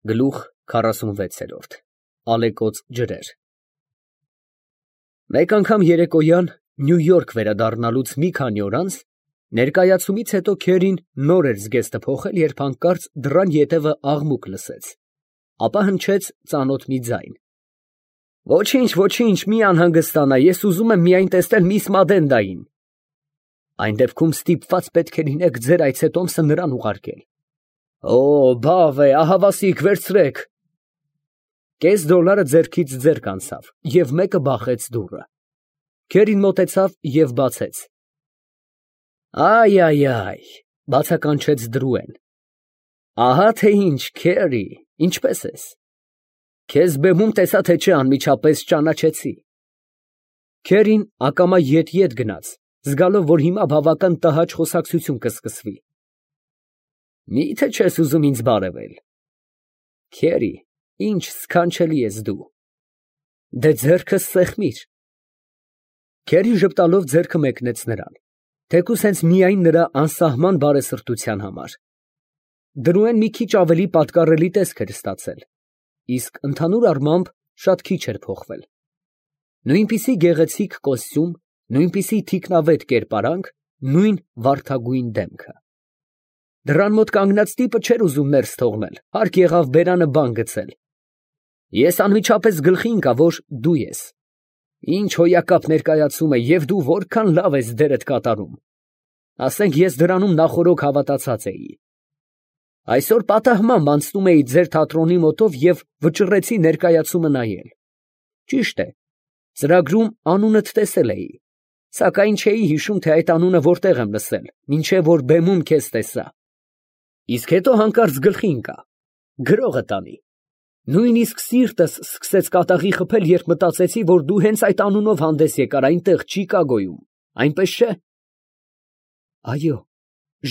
Գլուխ 46 Ալեկոծ ջրեր Մեկ անգամ երեկոյան Նյու Յորք վերադառնալուց մի քանի օր անց ներկայացումից հետո Քերին նոր էր զգեստը փոխել, երբ հանկարծ դռան ետևը աղմուկ լսեց, ապա հնչեց ծանոթ մի ձայն. Ոչինչ, ոչինչ, մի անհանգստանա, ես ուզում եմ միայն տեսնել միս Մադենդային։ Այն դեպքում ստիպված պետք է լինեք ձեր այցետոմսը նրան ուղարկել։ Օ, բավ է, ահավասիկ, վերցրեք։ Կես դոլարը ձեռքից ձեռք անցավ և մեկը բախեց դուռը։ Քերին մոտեցավ և բացեց։ Այ, բացականչեց Դրուեն։ Ահա թե ինչ, Քերի, ինչպե՞ս ես։ Քեզ բեմում տեսա թե չէ անմիջապես ճանաչեցի։ Քերին ակամա ետ գնաց, զգալով, որ հիմա բավական տհաճ խոսակցություն կսկսվի։ Մի՞թե չես ուզում ինձ բարևել։ Քերի, ինչ սքանչելի ես դու։ Դե ձեռքս սեղմիր։ Քերին ժպտալով ձեռքը մեկնեց նրան, թեկուզ հենց միայն նրա անսահման բարեսրտության համար։ Դրուեն մի քիչ ավելի պատկառելի տեսք էր ստացել, իսկ ընդհանուր առմամբ շատ քիչ էր փոխվել։ Նույնպիսի գեղեցիկ կոստյում, նույնպիսի թիկնավետ կերպարանք, նույն վարդագույն դեմքը։ Դռան մոտ կանգնած տիպը չէր ուզում ներս թողնել, հարկ եղավ բերանը բան գցել։ Ես անմիջապես գլխի ընկա, որ դու ես։ Ինչ հոյակապ ներկայացում է, և դու որքան լավ ես դերդ կատարում։ Ասենք ես դրանում նախօրոք հավատացած էի։ Այսօր պատահմամբ անցնում էի ձեր թատրոնի մոտով և վճռեցի ներկայացումը նայել։ Ճիշտ է, ծրագրում անունդ տեսել էի, սակայն չէի հիշում, թե այդ անունը որտեղ եմ լսել, մինչև որ բեմում քեզ տեսա։ Իսկ հետո հանկարծ գլխի ընկա, գրողը տանի։ Նույնիսկ սիրտս սկսեց կատաղի խփել, երբ մտածեցի, որ դու հենց այդ անունով հանդես եկար այնտեղ Չիկագոյում, այնպես չէ։ Այո,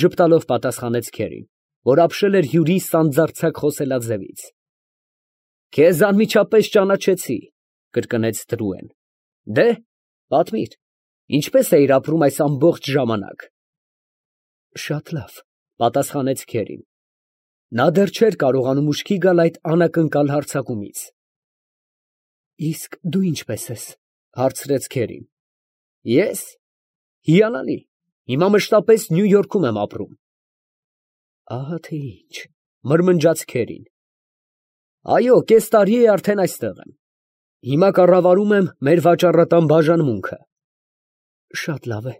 ժպտալով պատասխանեց Քերին, որ ապշել էր հյուրի սանձարձակ խոսելաձևից։ Քեզ անմիջապես ճանաչեցի, կրկնեց Դրուեն։ Դե, պատմիր, ինչպես էիր ապրում այս ամբողջ ժամանակ։ Շատ լավ, պատասխանեց Քերին։ Նա դեռ չէր կարողանում ուշքի գալ այդ անակնկալ հարձակումից։ Իսկ դու ինչպես ես, հարցրեց Քերին։ Ես։ Հիանալի, հիմա մշտապես Նյու Յորքում եմ ապրում։ Ահա թե ինչ, մրմնջաց Քերին։ Այո, կես տարի է արդեն այստեղ եմ։ Հիմա կառավարում եմ մեր վաճառատան բաժանմունքը։ Շատ լավ է։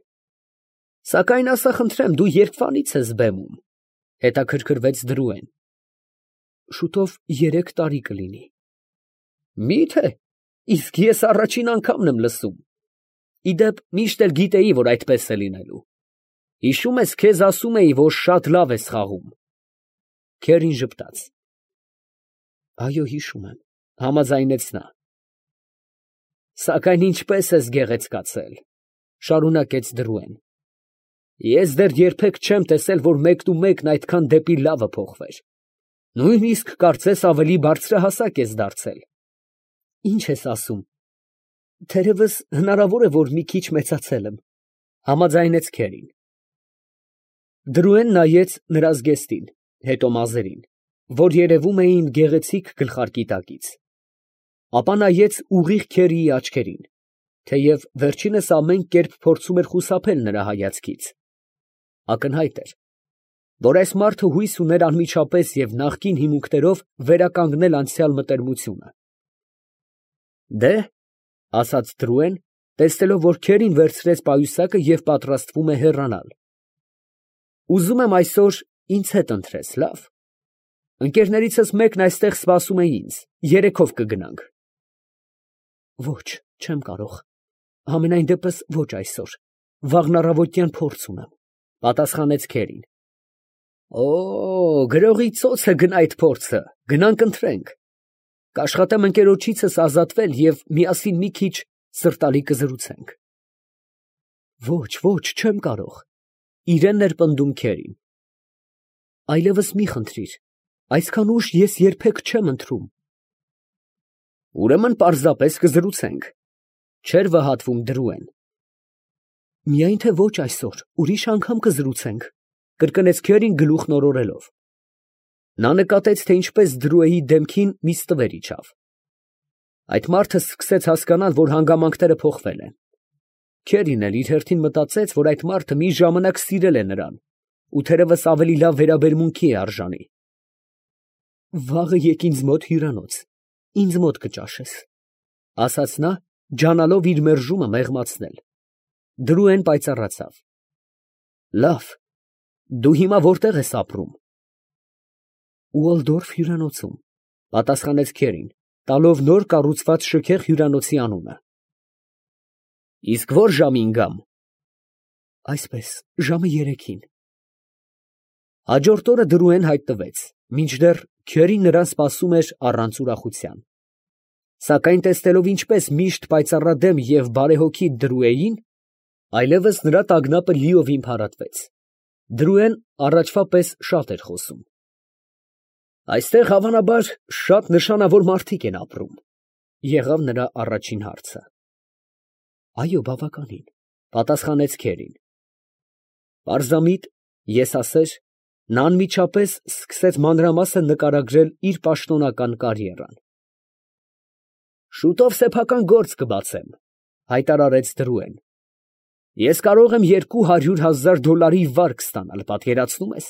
Սակայն ասա խնդրեմ, դու երբվանից ես բեմում, հետաքրքրվեց Դրուեն։ Շուտով 3 տարի կլինի։ Մի՞թե, իսկ ես առաջին անգամն եմ լսում։ Իդեպ միշտ էլ գիտեի, որ այդպես է լինելու։ Հիշում ես, քեզ ասում էի, որ շատ լավ ես խաղում։ Քերին ժպտաց։ Այո, հիշում եմ, համաձայնեց նա։ Սակայն ինչպես ես գեղեցկացել, շարունակեց Դրուեն։ Ես դեռ երբեք չեմ տեսել, որ մեկնումեկն այդքան դեպի լավը փոխվեր։ Նույնիսկ կարծես ավելի բարձրահասակ ես դարձել։ Ինչ ես ասում։ Թերևս հնարավոր է, որ մի քիչ մեծացել եմ, համաձայնեց Քերին։ Դրուեն նայեց նրա զգեստին, հետո մազերին, որ երևում էին գեղեցիկ գլխարկի տակից։ Ապա նայեց ուղիղ Քերիի աչքերին, թեև վերջինս ամեն կերպ փորձում էր խուսափել նրա հայացքից։ Ակնհայտ էր, որ այս մարդը հույս ուներ անմիջապես և նախկին հիմունքներով վերականգնել անցյալ մտերմությունը։ Դե, ասաց Դրուեն, տեսնելով, որ Քերին վերցրեց պայուսակը և պատրաստվում է հեռանալ։ Ուզում եմ այսօր ինձ հետ ընթրես, լավ։ Ընկերներիցս մեկն այստեղ սպասում է ինձ, երեքով կգնանք։ Ոչ, չեմ կարող։ Համենայն դեպս ոչ այսօր, վաղն առավոտյան փորձ ունեմ, պատասխանեց Քերին։ Օ, գրողի ծոցը գնա այդ փորձը, գնանք ընթրենք։ Կաշխատեմ ընկերոջիցս ազատվել և միասին մի քիչ սրտալի կզրուցենք։ Ոչ, չեմ կարող, իրեն էր պնդում Քերին։ Այլևս մի խնդրիր, այսքան ուշ ես երբեք չեմ ընթրում։ Ուրեմն պարզապես կզրուցենք, չէր վհատվում Դրուեն։ Միայն թե ոչ այսօր, ուրիշ անգամ կզրուցենք, կրկնեց Քերին գլուխն օրորելով։ Նա նկատեց, թե ինչպես Դրուեի դեմքին մի ստվեր իջավ։ Այդ մարդը սկսեց հասկանալ, որ հանգամանքները փոխվել են։ Քերին էլ իր հերթին մտածեց, որ այդ մարդը մի ժամանակ սիրել է նրան ու թերևս ավելի լավ վերաբերմունքի է արժանի։ «Վաղը եկ ինձ մոտ հյուրանոց, ինձ մոտ կճաշես», ֊ ասաց նա, ջանալով իր մերժումը մեղմացնել։ Դրուեն պայծառացավ։ «Լավ, դու հիմա որտեղ ես ապրում»։ «Ուոլդորֆ հյուրանոցում», ֊ պատասխանեց Քերին, տալով նոր կառուցված շքեղ հյուրանոցի անունը։ «Իսկ ո՞ր ժամին գամ»։ «Այսպես, ժամը 3-ին»։ Հաջորդ օրը Դրուեն հայտնվեց, մինչդեռ Քերին նրան սպասում էր առանց ուրախության։ Սակայն տեսնելով ինչպես միշտ պայծառադեմ և բարեհոգի Դրուեին, այլևս նրա տագնապը լիովին փարատվեց։ Դրուեն առաջվա պես շատ էր խոսում։ «Այստեղ հավանաբար շատ նշանավոր մարդիկ են ապրում», ֊ եղավ նրա առաջին հարցը։ «Այո, բավականին», ֊ պատասխանեց Քերին։ Պարզամիտ, եսասեր, նա անմիջապես սկսեց մանրամասն նկարագրել իր պաշտոնական կարիերան։ «Շուտով սեփական գործ կբացեմ», ֊ հայտարարեց Դրուեն։ «Ես կարող եմ $200,000 վարկ ստանալ, պատկերացնում ես»։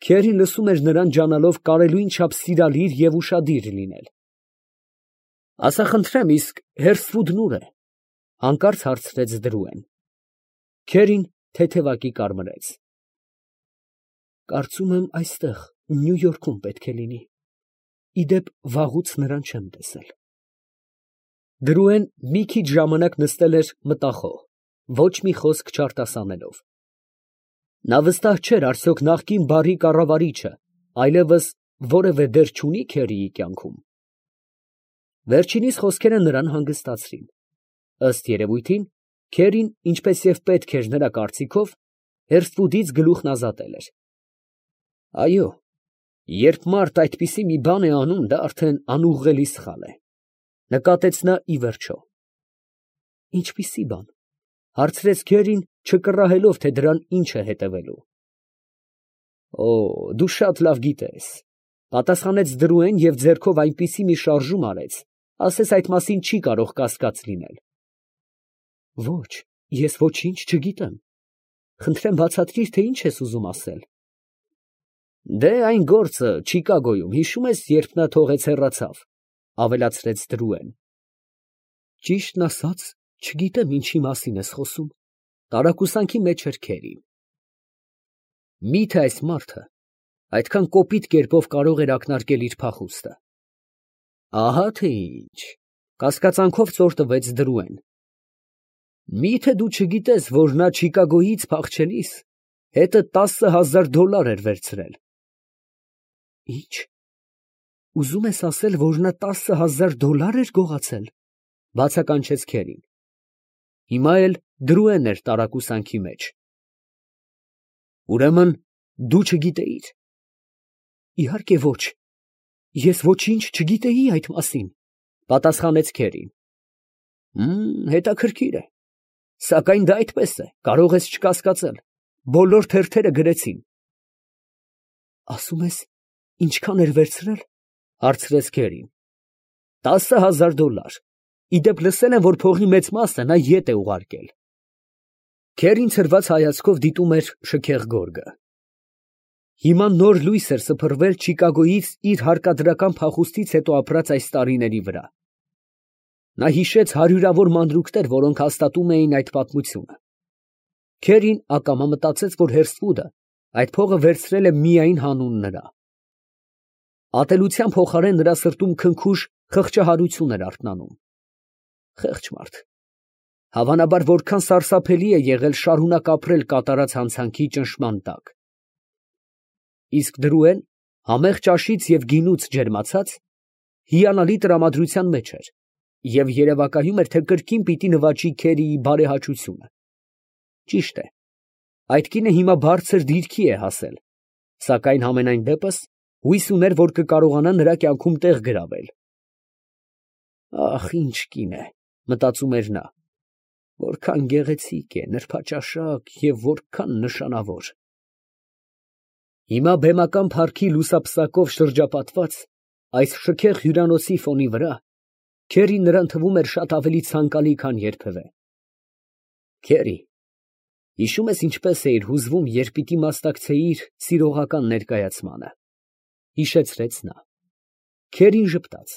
Քերին լսում էր նրան ջանալով կարելույն չափ սիրալիր և ուշադիր լինել։ «Ասա խնդրեմ, իսկ Հերսվուդն ուր է», ֊ հանկարծ հարցրեց Դրուեն։ Քերին թեթևակի կարմրեց։ «Կարծում եմ այստեղ, Նյու Յորքում պետք է լինի։ Ի դեպ, վաղուց նրան չեմ տեսել»։ Դրուեն մի քիչ ժամանակ նստել էր մտախոհ, ոչ մի խոսք չարտասանելով։ Նա վստահ չէր արդյոք նախկին բարի կառավարիչը այլևս որևէ դեր չունի Քերիի կյանքում։ Վերջինիս խոսքերը նրան հանգստացրին։ Ըստ երևույթին, Քերին, ինչպես և պետք էր նրա կարծիքով, Հերսվուդից գլուխն ազատել էր։ Այո, երբ մարդ այդպիսի մի բան է անում, դա արդեն անուղղելի սխալ է, նկատեց նա ի վերջո։ Ինչպիսի բան, հարցրեց Քերին, չկռահելով, թե դրան ինչ է հետևելու։ Օ, դու շատ լավ գիտես, պատասխանեց Դրուեն և ձեռքով այնպիսի մի շարժում արեց, ասես այդ մասին չի կարող կասկած լինել։ Ոչ, ես ոչինչ չգիտեմ։ Խնդրեմ բացատրիր, թե ինչ ես ուզում ասել։ Դե այն գործը Չիկագոյում, հիշում ես, երբ նա թողեց հեռացավ, ավելացրեց Դրուեն։ Ճիշտն ասած, չգիտեմ ինչի մասին ես խոսում, տարակուսանքի մեջ էր Քերին։ Մի՞թե այս մարդը այդքան կոպիտ կերպով կարող էր ակնարկել իր փախուստը։ Ահա թե ինչ, կասկածանքով ծոր տվեց Դրուեն։ Մի՞թե դու չգիտես, որ նա Չիկագոյից փախչելիս հետը $10,000 էր վերցրել։ Ինչ։ Ուզում ես ասել, որ նա $10,000 էր գողացել, բացականչեց Քերին։ Հիմա էլ Դրուեն էր տարակուսանքի մեջ։ Ուրեմն դու չգիտեիր։ Իհարկե ոչ, ես ոչինչ չգիտեի այդ մասին, պատասխանեց Քերին։ Հետաքրքիր է, սակայն դա այդպես է, կարող ես չկասկածել, բոլոր թերթերը գրեցին։ Ասում ես, ինչքան էր վերցրել, հարցրեց Քերին։ $10,000, ի դեպ լսել եմ, որ փողի մեծ մասը նա ետ է ուղարկել։ Քերին ցրված հայացքով դիտում էր շքեղ գորգը։ Հիմա նոր լույս էր սփռվել Չիկագոյից իր հարկադրական փախուստից հետո ապրած այս տարիների վրա։ Նա հիշեց հարյուրավոր մանրուքներ, որոնք հաստատում էին այդ պատմությունը։ Քերին ակամա մտածեց, որ Հերսվուդը այդ փողը վերցրել է միայն հանուն նրա։ Ատելության փոխարեն նրա սրտում քնքուշ խղճահարություն էր արթնանում։ Խեղճ մարդ։ Հավանաբար որքան սարսափելի է եղել շարունակ ապրել կատարած հանցանքի ճնշման տակ։ Իսկ Դրուեն, համեղ ճաշից և գինուց ջերմացած, հիանալի տրամադրության մեջ էր և երևակայում էր, թե կրկին պիտի նվաճի Քերիի բարեհաճությունը։ Ճիշտ է, այդ կինը հիմա բարձր դիրքի է հասել, սակայն համենայն դեպս հույս ուներ, որ կկարողանա նրա կյանքում տեղ գրավել։ Ախ, ինչ կին է, մտածում էր նա, որքան գեղեցիկ է, նրբաճաշակ և որքան նշանավոր։ Հիմա բեմական փառքի լուսապսակով շրջապատված այս շքեղ հյուրանոցի ֆոնի վրա Քերին նրան թվում էր շատ ավելի ցանկալի, քան երբևէ։ Քերի, հիշում ես ինչպես էիր հուզվում, երբ պիտի մասնակցեիր սիրողական ներկայացմանը, հիշեցրեց նա։ Քերին ժպտաց։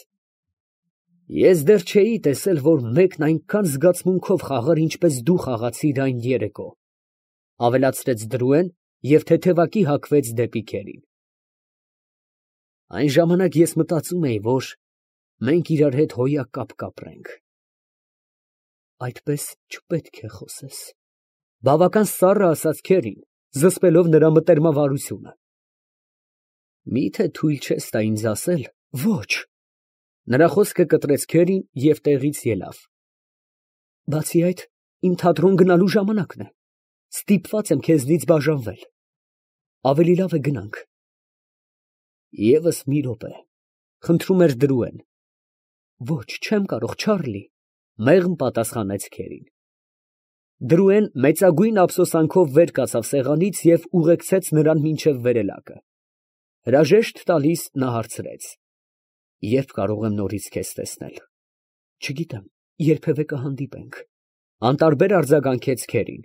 Ես դեռ չէի տեսել, որ մեկն այնքան զգացմունքով խաղար, ինչպես դու խաղացիր այն երեկո, ավելացրեց Դրուեն և թեթևակի հագվեց դեպի Քերին։ Այն ժամանակ ես մտածում էի, որ մենք իրար հետ հոյակապ կապրենք։ Այդպես չպետք է խոսես, բավական սառը ասաց Քերին, զսպելով նրա մտերմավարությունը։ Միթե թույլ չես տա ինձ ասել, ոչ։ Նրա խոսքը կտրեց Քերին և տեղից ելավ։ Բացի այդ, իմ թատրոն գնալու ժամանակն է։ Ստիպված եմ քեզնից բաժանվել։ Ավելի լավ է գնանք։ Եվս մի րոպե, խնդրում էր Դրուեն։ Ոչ, չեմ կարող, Չարլի, մեղմ պատասխանեց Քերին։ Դրուեն մեծագույն ափսոսանքով վեր կացավ սեղանից և ուղեկցեց նրան մինչև վերելակը։ Հրաժեշտ տալիս նա հարցրեց. Երբ կարող եմ նորից քեզ տեսնել։ Չգիտեմ, երբևէ կհանդիպենք։ Անտարբեր արձագանքեց Քերին։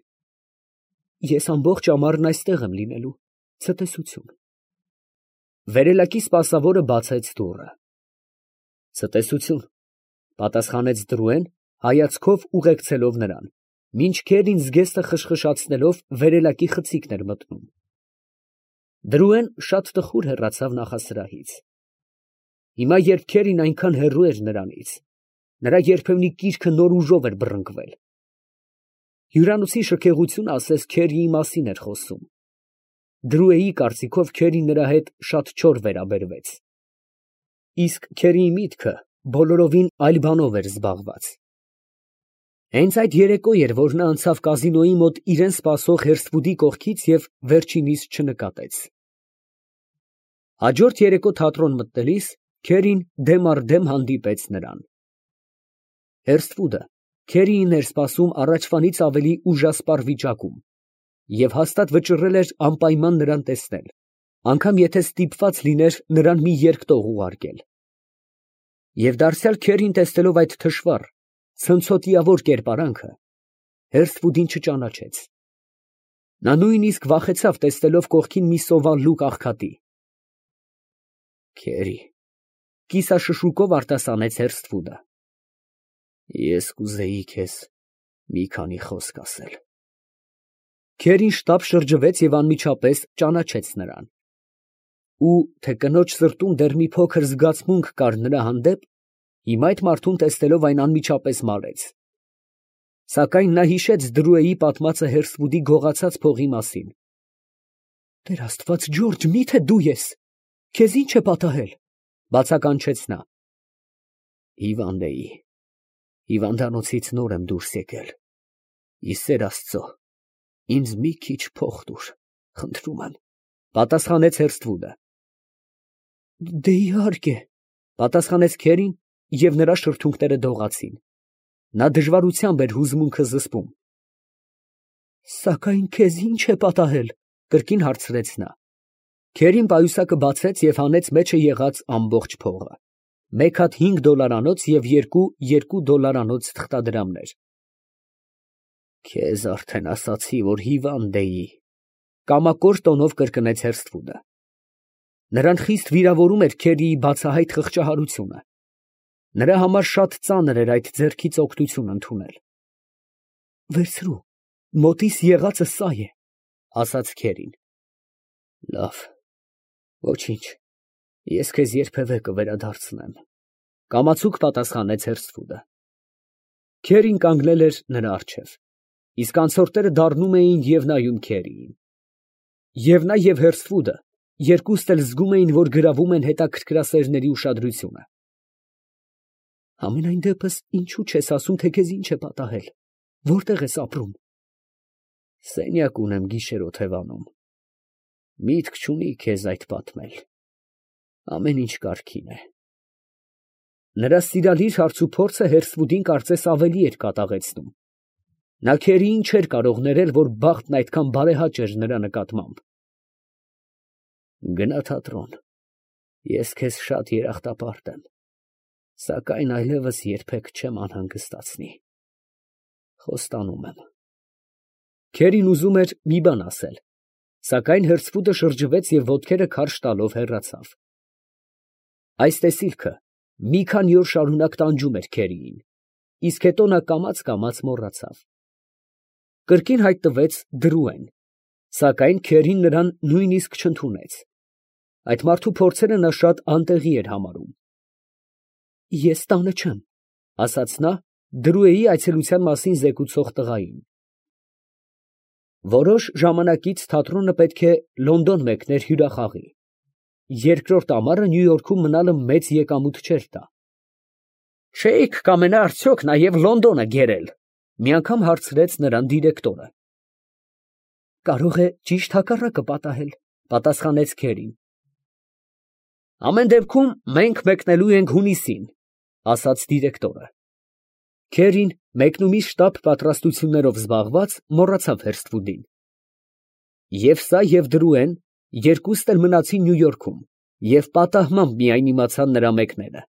Ես ամբողջ ամառն այստեղ եմ լինելու։ Ցտեսություն։ Վերելակի սպասավորը բացեց դուռը։ Ցտեսություն, պատասխանեց Դրուեն, հայացքով ուղեկցելով նրան, մինչ Քերին զգեստը խշխշացնելով վերելակի խցիկն էր մտնում։ Դրուեն շատ տխուր հեռացավ նախասրահից։ Հիմա, երբ Քերին այնքան հեռու էր նրանից, նրա երբեմնի կիրքը նոր ուժով էր բռնկվել։ Հյուրանոցի շքեղությունը ասես Քերիի մասին էր խոսում։ Դրուեի կարծիքով Քերին նրա հետ շատ չոր վերաբերվեց։ Իսկ Քերիի միտքը բոլորովին այլ բանով էր զբաղված։ Հենց այդ երեկո էր, որ նա անցավ կազինոյի մոտ իրեն սպասող Հերսթվուդի կողքից և վերջինիս չնկատեց։ Հաջորդ երեկո թատրոն մտնելիս Քերին դեմ առ դեմ հանդիպեց նրան։ Հերսթվուդը Քերիին էր սպասում առաջվանից ավելի ուժասպառ վիճակում և հաստատ վճռել էր անպայման նրան տեսնել, անգամ եթե ստիպված լիներ նրան մի երկտող ուղարկել։ Եվ դարձյալ Քերին տեսնելով այդ թշվառ, ցնցոտիավոր կերպարանքը, Հերսթվուդին չճանաչեց։ Նա նույնիսկ վախեցավ տեսնելով կողքին մի սովալլուկ աղքատի։ Քերի, կիսաշշուկով արտասանեց Հերսթվուդը։ Ես կուզեի քեզ մի քանի խոսք ասել։ Քերին շտապ շրջվեց և անմիջապես ճանաչեց նրան։ Ու թե կնոջ սրտում դեռ մի փոքր զգացմունք կար նրա հանդեպ, հիմա այդ մարդուն տեսնելով այն անմիջապես մարեց։ Սակայն նա հիշեց Դրուեի պատմածը Հերսթվուդի գողացած փողի մասին։ Տեր Աստված, Ջորջ, մի՞թե դու ես։ Քեզ ի՞նչ է պատահել, բացականչեց նա։ Հիվանդ էի։ Հիվանդանոցից նոր եմ դուրս եկել։ Ի սեր Աստծո, ինձ մի քիչ փող տուր, խնդրում եմ, պատասխանեց Հերսթվուդը։ Դե իհարկե, պատասխանեց Քերին, և նրա շրթունքները դողացին։ Նա դժվարությամբ էր հուզմունքը զսպում։ Սակայն քեզ ի՞նչ է պատահել, կրկին հարցրեց նա։ Քերին պայուսակը բացեց և հանեց մեջը եղած ամբողջ փողը, մեկ հատ $5 և երկու $2 թղթադրամներ։ Քեզ արդեն ասացի, որ հիվանդ էի, կամակոր տոնով կրկնեց Հերսթվուդը։ Նրան խիստ վիրավորում էր Քերիի բացահայտ խղճահարությունը։ Նրա համար շատ ծանր էր այդ ձեռքից օգնություն ընդունել։ Վերցրու, մոտիս եղածը սա է, ասաց Քերին։ Լավ, ոչինչ, ես քեզ երբևէ կվերադարձնեմ, կամացուկ պատասխանեց Հերսթվուդը։ Քերին կանգնել էր նրա առջև, իսկ անցորդները դառնում էին և նայում Քերիին։ Եվ նա և Հերսթվուդը երկուստ էլ զգում էին, որ գրավում են հետաքրքրասերների ուշադրությունը։ Համենայն դեպս, ինչու չես ասում, թե քեզ ինչ է պատահել, որտեղ ես ապրում։ Սենյակ ունեմ գիշերօթևանում։ Միտք չունի քեզ այդ պատմել։ Ամեն ինչ կարգին է։ Նրա սիրալիր հարցուփորձը Հերսթվուդին կարծես ավելի էր կատաղեցնում։ Նա Քերիին չէր կարող ներել, որ բախտն այդքան բարեհաճ էր նրա նկատմամբ։ Գնա թատրոն, ես քեզ շատ երախտապարտ եմ, սակայն այլևս երբեք չեմ անհանգստացնի, խոստանում եմ։ Քերին ուզում էր մի բան ասել, սակայն հրցվուտը շրջվեց և ոտքերը քարշ տալով հեռացավ։ Այս տեսիլքը մի քանի օր շարունակ տանջում էր Քերիին, իսկ հետո նա կամաց մոռացավ։ Կրկին հայտնվեց Դրուեն, սակայն Քերին նրան նույնիսկ չընդունեց։ Այդ մարդու փորձերը նա շատ անտեղի էր համարում։ Ես տանը չեմ, ասաց նա Դրուեի այցելության մասին զեկուցող տղային։ Որոշ ժամանակից թատրոնը պետք է Լոնդոն մեկներ հյուրախաղի։ Երկրորդ ամառը Նյու Յորքում մնալը մեծ եկամուտ չէր տա։ Չէիք կամենա արդյոք նաև Լոնդոնը գերել, մի անգամ հարցրեց նրան դիրեկտորը։ Կարող է ճիշտ հակառակը պատահել, պատասխանեց Քերին։ Ամեն դեպքում մենք մեկնելու ենք հունիսին, ասաց դիրեկտորը։ Քերին մեկնումի շտապ պատրաստություններով զբաղված մոռացավ Հերսթվուդին։ Եվ սա և Դրուեն երկուսն էլ մնացին Նյու Յորքում և պատահմամբ միայն իմացան նրա մեկնելը։